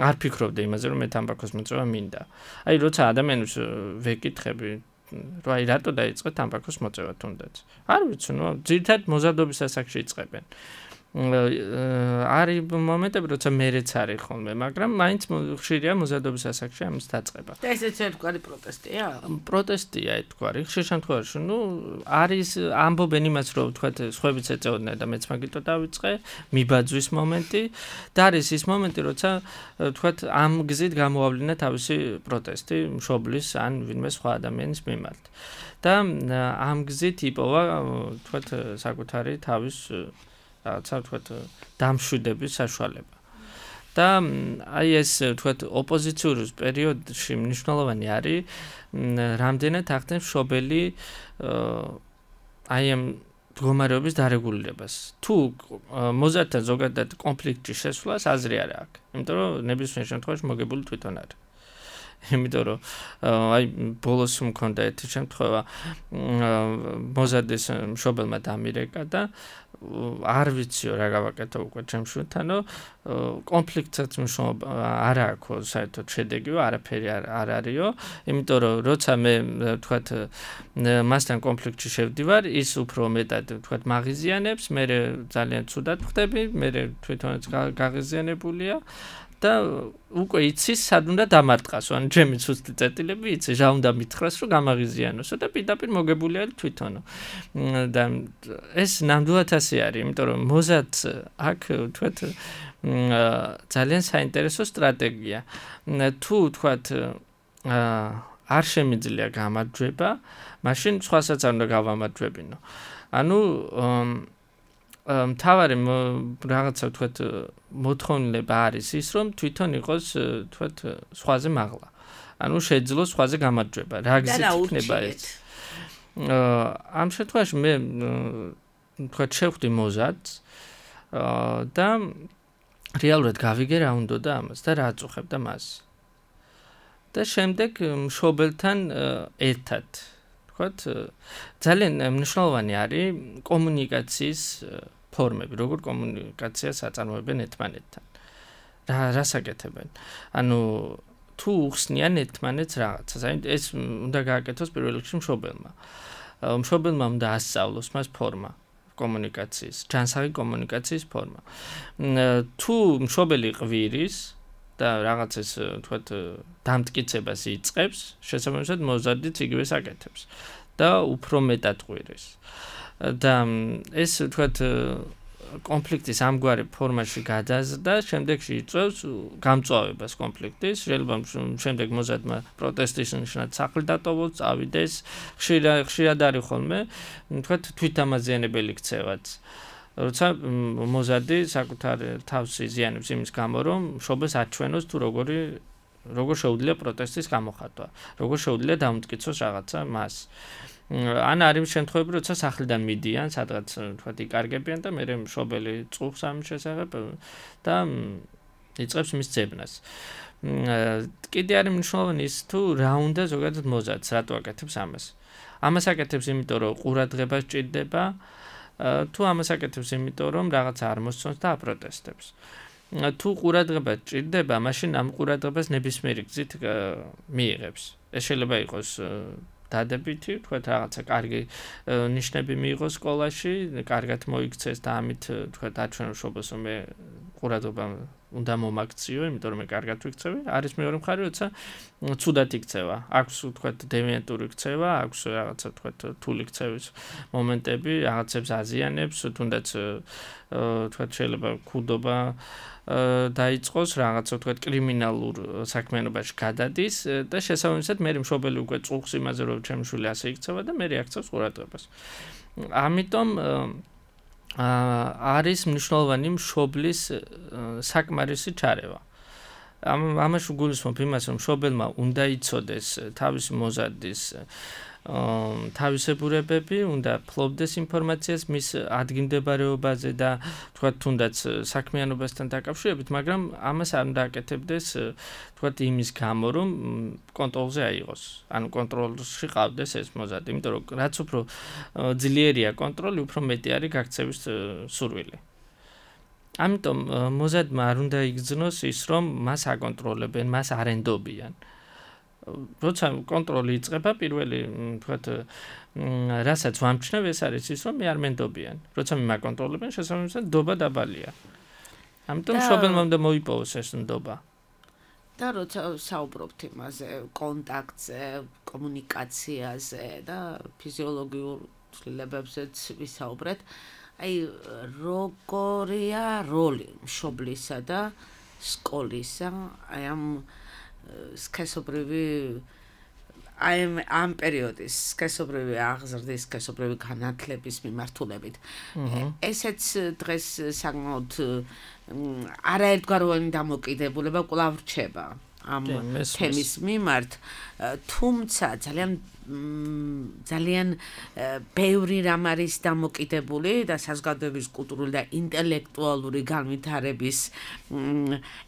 არ ფიქრობდე იმაზე რომ მე თამბაქოს მოწევა მინდა. აი როცა ადამიანს ვეკითხები რა აი რატო დაიწყე თამბაქოს მოწევა თუნდაც. არ ვიცი, ნუ ძირითადად მოზარდობის ასაკში იწყებენ. არის მომენტები, როცა მერეც არის ხოლმე, მაგრამ მაინც ხშირია მოზარდობის ასაკში ამის დაწყება. და ესეც ერთგვარი პროტესტია? პროტესტია ერთგვარი. ხშირ შემთხვევაში, ნუ არის ამბობენ იმას, რომ თქვათ, სხვებიც ეწეოდნენ და მეც მაგიტო დავიწყე, მიბაძვის მომენტი და არის ის მომენტი, როცა თქვათ, ამ გზით გამოავლინა თავისი პროტესტი მშობლის ან ვინმე სხვა ადამიანის მიმართ. და ამ გზით იპოვა, თქვათ, საკუთარი თავის რაღაცა ვთქვათ დამშვიდების საშუალება. და აი ეს ვთქვათ ოპოზიციური პერიოდში მნიშვნელოვანი არის რამდენად ახდენს მშობელი აი ამ მდგომარეობის დარეგულირებას. თუ მოზარდთან ზოგადად კონფლიქტში შესვლას აზრი არ აქვს. იმიტომ რომ ნებისმიერ შემთხვევაში მოგებული თვითონ არის. იმიტომ რომ აი ბოლოს მქონდა ერთი შემთხვევა მოზარდის მშობელმა დამირეკა და არ ვიციო რა გავაკეთო უკვე ჩემს შვილთანო კონფლიქტსაც მშობა არ აქვს საერთოდ შედეგიო არაფერი არ არისო იმიტომ რომ როცა მე თქვათ მასთან კონფლიქტში შევდივარ ის უფრო მეტად თქვათ მაღიზიანებს მე ძალიან ცუდად ხდები მე თვითონაც გაღიზიანებულია და უკვე იცის სად უნდა დამარტყასო ან ჩემი ცუცი წერტილები იცი რა უნდა მითხრას რომ გამაღიზიანოსო და პირდაპირ მოგებული არის თვითონო და ეს ნამდვილად ასე არის იმიტომ რომ მოზარდს აქ თქვათ ძალიან საინტერესო სტრატეგია თუ თქვათ არ შემიძლია გამარჯვება მაშინ სხვასაც არ უნდა გავამარჯვებინო ანუ მთავარი რაღაცა თქვათ მოთხოვნილება არის ის რომ თვითონ იყოს თქვათ სხვაზე მაღლა. ანუ შეძლოს სხვაზე გამარჯვება. რა გზით იქნება ეს? ამ შემთხვევაში მე თქვათ შევხვდი მოზარდს და რეალურად გავიგე რა უნდა და ამას და რა აწუხებდა მას. და შემდეგ მშობელთან ერთად თქვათ ძალიან მნიშვნელოვანი არის კომუნიკაციის ფორმები, როგორ კომუნიკაციას აწარმოებენ ერთმანეთთან. რა რასაკეთებენ? ანუ თუ უხსნიან ერთმანეთს რაღაცას, აი ეს უნდა გააკეთოს პირველ რიგში მშობელმა. მშობელმა უნდა ასწავლოს მას ფორმა კომუნიკაციის, ჯანსაღი კომუნიკაციის ფორმა. თუ მშობელი ყვირის და რაღაცას თქვათ დამტკიცებას იწყებს, შესაბამისად მოზარდიც იგივე საკეთებს და უფრო მეტად ყვირის. და ეს თქვათ კონფლიქტის ამგვარი ფორმაში გადაზრდა, შემდეგში იწვევს გამწვავებას კონფლიქტის, შეიძლება შემდეგ მოზარდმა პროტესტის ნიშნად სახლი დატოვოს, წავიდეს, ხშირად არის ხოლმე, თქვათ თვითამაზიანებელი ქცევაც. როცა მოზარდი საკუთარ თავს იზიანებს იმის გამო, რომ მშობელს აჩვენოს თუ როგორი როგორ შეუძლია პროტესტის გამოხატვა, როგორ შეუძლია დამტკიცოს რაღაცა მას. ან არის შემთხვევები, როცა სახლიდან მიდიან, სადღაც თქვათ იკარგებიან და მერე მშობელი წუხს ამის შესახებ და იწყებს მის ძებნას. კიდე არის მნიშვნელოვანი ის თუ რა უნდა ზოგადად მოზარდს, რატო აკეთებს ამას. ამას აკეთებს იმიტომ, რომ ყურადღება სჭირდება, თუ ამას აკეთებს იმიტომ, რომ რაღაც არ მოსწონს და აპროტესტებს. თუ ყურადღება სჭირდება, მაშინ ამ ყურადღებას ნებისმიერი გზით მიიღებს. ეს შეიძლება იყოს დადებითი, თქვათ რაღაცა კარგი ნიშნები მიიღოს სკოლაში, კარგად მოიქცეს და ამით თქვათ აჩვენოს მშობელს, რომ მე ყურადღება უნდა მომაქციო, იმიტომ რომ მე კარგად ვიქცევი. არის მეორე მხარე, როცა ცუდად იქცევა. აქვს თქვათ დევიანტური ქცევა, აქვს რაღაცა თქვათ რთული ქცევის მომენტები, რაღაცებს აზიანებს, თუნდაც თქვათ შეიძლება ქუდობა დაიწყოს, რაღაცა თქვათ კრიმინალურ საქმიანობაში გადადის და შესაბამისად მე მშობელი უკვე წუხს იმაზე, რომ ჩემი შვილი ასე იქცევა და მე რეაქციას ყურადღებას. ამიტომ არის მნიშვნელოვანი მშობლის საკმარისი ჩარევა. ამაში გულისხმობ იმას, რომ მშობელმა უნდა იცოდეს თავისი მოზარდის თავისებურებები, უნდა ფლობდეს ინფორმაციას მის ადგილმდებარეობაზე და თქვათ თუნდაც საქმიანობასთან დაკავშირებით, მაგრამ ამას არ უნდა აკეთებდეს თქვათ იმის გამო, რომ კონტროლზე აიღოს. ანუ კონტროლში ყავდეს ეს მოზარდი, იმიტომ რომ რაც უფრო ძლიერია კონტროლი, უფრო მეტი არის გაქცევის სურვილი. ამიტომ მოზარდმა არ უნდა იგრძნოს ის, რომ მას აკონტროლებენ, მას არ ენდობიან. როცა კონტროლი იწყება, პირველი თქვათ რასაც ვამჩნევ, ეს არის ის, რომ მე არ მენდობიან. როცა მე მაკონტროლებენ, შესაბამისად ნდობა დაბალია. ამიტომ მშობელმა უნდა მოიპოვოს ეს ნდობა. და როცა საუბრობთ იმაზე, კონტაქტზე, კომუნიკაციაზე და ფიზიოლოგიურ ცვლილებებზეც ვისაუბრეთ, აი როგორია როლი მშობლისა და სკოლისა, აი ამ სქესობრივი აი ამ პერიოდის სქესობრივი აღზრდის, სქესობრივი განათლების მიმართულებით. ესეც დღეს საკმაოდ არაერთგვაროვანი დამოკიდებულება კვლავ რჩება. ამ თემის მიმართ, თუმცა ძალიან ძალიან ბევრი რამ არის დამოკიდებული და საზოგადოების კულტურული და ინტელექტუალური განვითარების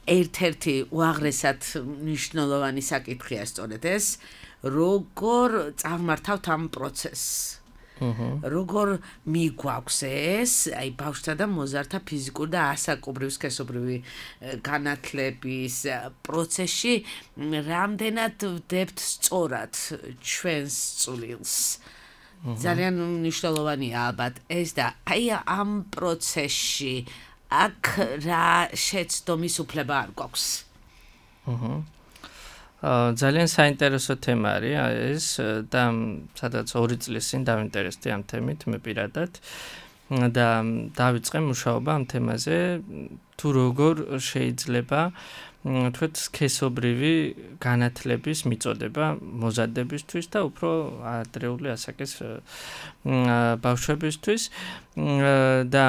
ერთ-ერთი უაღრესად მნიშვნელოვანი საკითხია სწორედ ეს, როგორ წავმართავთ ამ პროცესს. როგორ მიგვაქვს ეს, აი ბავშვთა და მოზარდთა ფიზიკური და ასაკობრივი სქესობრივი განათლების პროცესში რამდენად ვდებთ სწორად ჩვენს წვლილს. ძალიან მნიშვნელოვანია ალბათ ეს და აი ამ პროცესში აქ რა შეცდომის უფლება არ გვაქვს. ძალიან საინტერესო თემა არის ეს და სადაც ორი წლის წინ დავინტერესდი ამ თემით მე პირადად და დავიწყე მუშაობა ამ თემაზე თუ როგორ შეიძლება თქვით სქესობრივი განათლების მიწოდება მოზარდებისთვის და უფრო ადრეული ასაკის ბავშვებისთვის და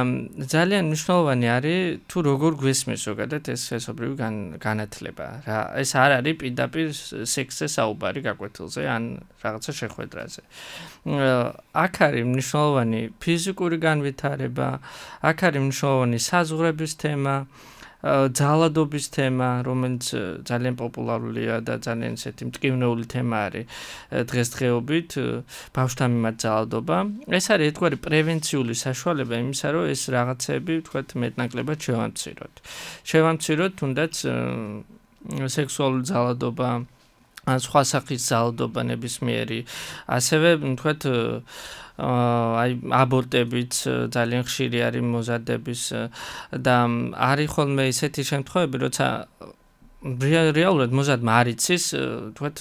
ძალიან მნიშვნელოვანი არის თუ როგორ გვესმის ზოგადად ეს სქესობრივი განათლება რა ეს არ არის პირდაპირ სექსზე საუბარი გაკვეთილზე ან რაღაცა შეხვედრაზე აქ არის მნიშვნელოვანი ფიზიკური განვითარება აქ არის მნიშვნელოვანი საზღვრების თემა ძალადობის თემა, რომელიც ძალიან პოპულარულია და ძალიან ისეთი მტკივნეული თემა არის დღესდღეობით ბავშვთა მიმართ ძალადობა. ეს არის ერთგვარი პრევენციული საშუალება იმისა, რომ ეს რაღაცები, თქვათ, მეტნაკლებად შევამციროთ. შევამციროთ თუნდაც სექსუალური ძალადობა, სხვა სახის ძალადობა ნებისმიერი, ასევე, თქვათ, აი აბორტებიც ძალიან ხშირი არის მოზარდების და არის ხოლმე ისეთი შემთხვევები, როცა რეალურად მოზარდმა არ იცის, თქვათ,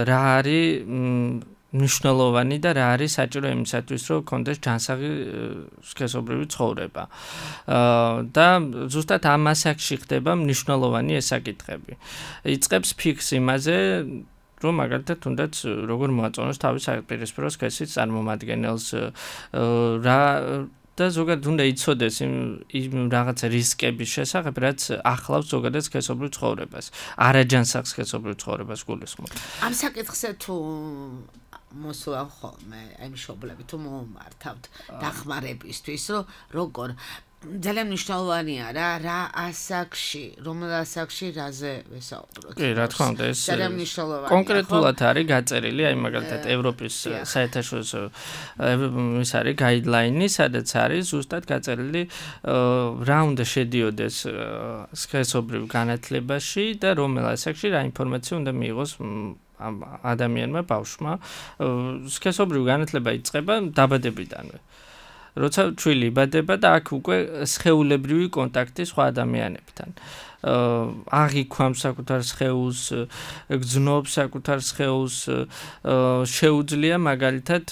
რა არის მნიშვნელოვანი და რა არის საჭირო იმისათვის, რომ კონდეს ჯანსაღი სქესობრივი ცხოვრება. და ზუსტად ამ ასაკში ხდება მნიშვნელოვანი ეს საკითხები. იწყებს ფიქს იმაზე, რომ მაგალითად თუნდაც როგორ მოაწონოს თავის საპირისპირო სქესის წარმომადგენელს რა და ზოგადად უნდა იცოდეს იმ რაღაცა რისკების შესახებ, რაც ახლავს ზოგადად სქესობრივ ცხოვრებას, არაჯანსაღ სქესობრივ ცხოვრებას გულისხმობ. ამ საკითხზე თუ მოსულან ხოლმე აი მშობლები თუ მომართავთ დახმარებისთვის, რომ როგორ ძალიან მნიშვნელოვანია რა რა ასაკში, რომელ ასაკში რაზე ვესაუბროთ. კი, რა თქმა უნდა, ეს ძალიან მნიშვნელოვანია. კონკრეტულად არის გაწერილი, აი მაგალითად ევროპის საერთაშორისო ის არის გაიდლაინი, სადაც არის ზუსტად გაწერილი რა უნდა შედიოდეს სქესობრივ განათლებაში და რომელ ასაკში რა ინფორმაცია უნდა მიიღოს ამ ადამიანმა ბავშვმა. სქესობრივი განათლება იწყება დაბადებიდანვე. როცა ჩვილი იბადება და აქ უკვე სხეულებრივი კონტაქტი სხვა ადამიანებთან. აღიქვამს საკუთარ სხეულს, გძნობს საკუთარ სხეულს, შეუძლია მაგალითად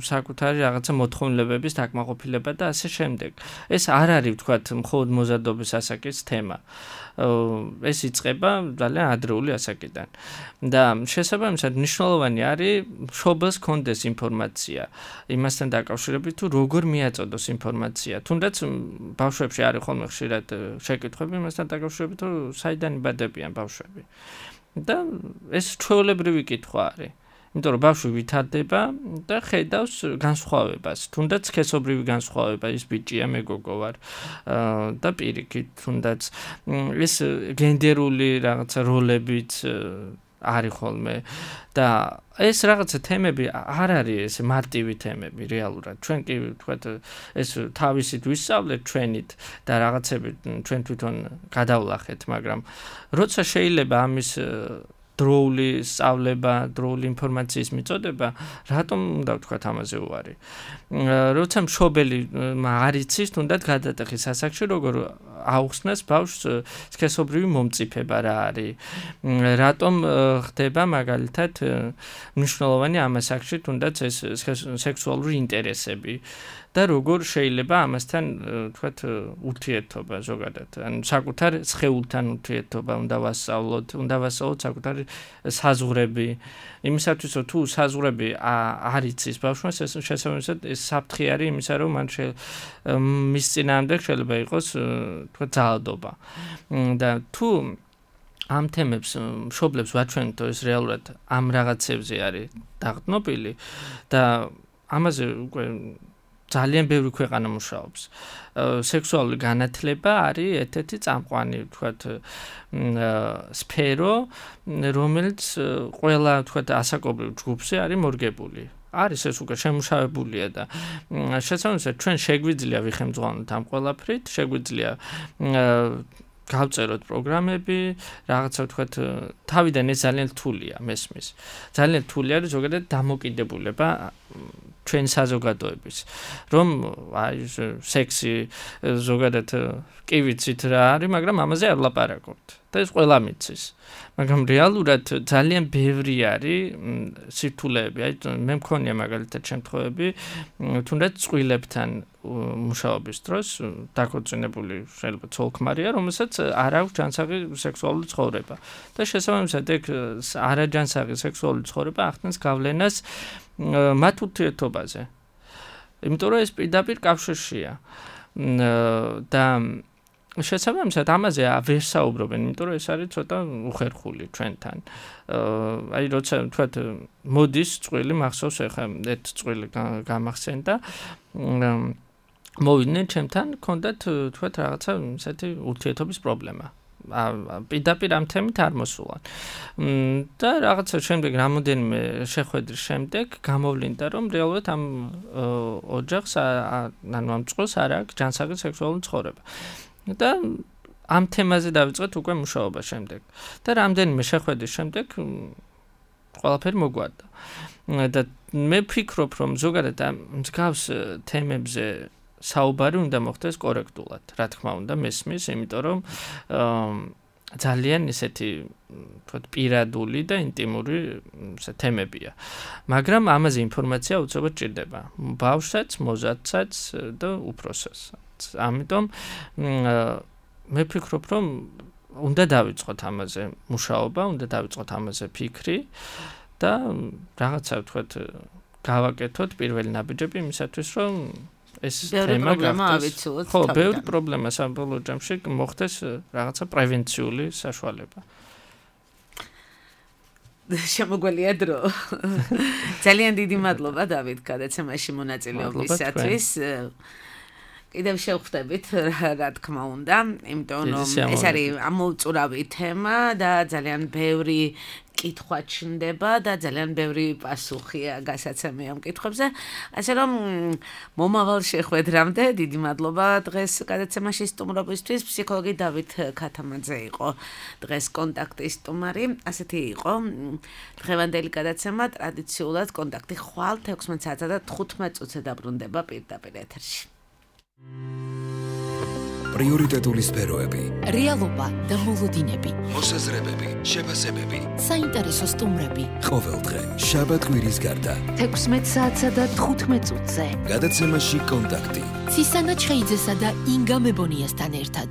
საკუთარი რაღაცა მოთხოვნილებების დაკმაყოფილება და ასე შემდეგ. ეს არ არის ვთქვათ მხოლოდ მოზარდობის ასაკის თემა. ეს იწყება ძალიან ადრეული ასაკიდან. და შესაბამისად მნიშვნელოვანი არის მშობელს კონდეს ინფორმაცია იმასთან დაკავშირებით თუ როგორ მიაწოდოს ინფორმაცია. თუნდაც ბავშვებში არის ხოლმე ხშირად შეკითხვები იმასთან დაკავშირებით რომ საიდან იბადებიან ბავშვები. და ეს ჩვეულებრივი კითხვა არის. იმიტომ რომ ბავშვი ვითარდება და ხედავს განსხვავებას, თუნდაც სქესობრივი განსხვავება, ის ბიჭია, მე გოგო ვარ და პირიქით, თუნდაც ეს გენდერული რაღაცა როლებიც არის ხოლმე და ეს რაღაცა თემები არ არის ეს მარტივი თემები რეალურად. ჩვენ კი ვთქვათ ეს თავისით ვისწავლეთ ჩვენით და რაღაცები ჩვენ თვითონ გადავლახეთ, მაგრამ როცა შეიძლება ამის დროული სწავლება, დროული ინფორმაციის მიწოდება, რატომ უნდა ვთქვათ ამაზე უარი? როცა მშობელი არ იცის, თუნდაც გადატეხის ასაკში, როგორ აუხსნას ბავშვს სქესობრივი მომწიფება რა არის? რატომ ხდება მაგალითად მნიშვნელოვანი ამ ასაკში, თუნდაც ეს სექსუალური ინტერესები? და როგორ შეიძლება ამასთან თქვათ ურთიერთობა ზოგადად ან საკუთარ სხეულთან ურთიერთობა უნდა ვასწავლოთ, უნდა ვასწავლოთ საკუთარი საზღვრები. იმისათვის რომ თუ საზღვრები არ იცის ბავშვმა, შესაბამისად ეს საფრთხე არის იმისა, რომ მან მის წინააღმდეგ შეიძლება იყოს თქვათ ძალადობა. და თუ ამ თემებს მშობლებს ვაჩვენებთ, რომ ეს რეალურად ამ რაღაცებზე არის დაღწნობილი და ამაზე უკვე ძალიან ბევრი ქვეყანა მუშაობს. სექსუალური განათლება არის ერთ-ერთი წამყვანი, ვთქვათ, სფერო, რომელიც ყველა, ვთქვათ, ასაკობრივ ჯგუფზე არის მორგებული. არის ეს უკვე შემუშავებულია და შესაბამისად ჩვენ შეგვიძლია ვიხემძღვანოთ ამ ყველაფრით, შეგვიძლია გავწეროთ პროგრამები, რაღაცა ვთქვათ, თავიდან ეს ძალიან რთულია მესმის. ძალიან რთული არის ზოგადად დამოკიდებულება ჩვენ საზოგადოების, რომ აი სექსი ზოგადად კი ვიცით რა არის, მაგრამ ამაზე არ ვლაპარაკობთ. და ეს ყველა მიცის. მაგრამ რეალურად ძალიან ბევრი არის სირთულეები. აი მე მქონია მაგალითად შემთხვევები, თუნდაც წყვილებთან მუშაობის დროს დაქორწინებული შეიძლება ცოლ-ქმარია, რომელსაც არ აქვს ჯანსაღი სექსუალური ცხოვრება. და შესაბამისად ეგ არაჯანსაღი სექსუალური ცხოვრება ახდენს გავლენას მათ ურთიერთობაზე. იმიტომ რომ ეს პირდაპირ კავშირშია. და შესაბამისად ამაზე ვერ საუბრობენ, იმიტომ რომ ეს არის ცოტა უხერხული ჩვენთან. აი როცა თქვათ მოდის წვილი მახსოვს ახლა ერთ წვილი გამახსენდა მოვიდნენ ჩემთან, ქონდათ თქვათ რაღაცა ისეთი ურთიერთობის პრობლემა. პირდაპირ ამ თემით არ მოსულან. და რაღაცა შემდეგ რამოდენიმე შეხვედრის შემდეგ გამოვლინდა, რომ რეალურად ამ ოჯახს ანუ ამ წყვილს არ აქვს ჯანსაღი სექსუალური ცხოვრება. და ამ თემაზე დავიწყეთ უკვე მუშაობა შემდეგ. და რამდენიმე შეხვედრის შემდეგ ყველაფერი მოგვარდა. და მე ვფიქრობ, რომ ზოგადად ამ მსგავს თემებზე საუბარი უნდა მოხდეს კორექტულად, რა თქმა უნდა, მესმის, იმიტომ რომ ძალიან ისეთი თქვათ პირადული და ინტიმური თემებია. მაგრამ ამაზე ინფორმაცია უცებად ჭირდება. ბავშვსაც, მოზარდსაც და უფროსასაც. ამიტომ მე ვფიქრობ, რომ უნდა დავიწყოთ ამაზე მუშაობა, უნდა დავიწყოთ ამაზე ფიქრი და რაღაცა თქვათ გავაკეთოთ პირველი ნაბიჯები იმისათვის, რომ ეს თემა გახდეს. ხო, ბევრი პრობლემა საბოლოო ჯამში მოხდეს რაღაცა პრევენციული საშუალება. შემოგველია დრო. ძალიან დიდი მადლობა დავით გადაცემაში მონაწილეობისათვის. კიდევ შევხვდებით, რა თქმა უნდა, იმიტომ რომ ეს არის ამოუწურავი თემა და ძალიან ბევრი კითხვა ჩნდება და ძალიან ბევრი პასუხია გასაცემი ამ კითხვებზე. ასე რომ მომავალ შეხვედრამდე დიდი მადლობა დღეს გადაცემაში სტუმრობისთვის. ფსიქოლოგი დავით ქათამაძე იყო დღეს კონტაქტის სტუმარი. ასეთი იყო დღევანდელი გადაცემა. ტრადიციულად კონტაქტი ხვალ თექვსმეტ საათსა და თხუთმეტ წუთზე დაბრუნდება პირდაპირ ეთერში. პრიორიტეტული სფეროები, რეალობა და მოლოდინები, მოსაზრებები, შეფასებები, საინტერესო სტუმრები. ყოველდღე შაბათ-კვირის გარდა თექვსმეტ საათსა და თხუთმეტ წუთზე გადაცემაში კონტაქტი. ცისანა ჩხეიძესა და ინგა მებონიასთან ერთად.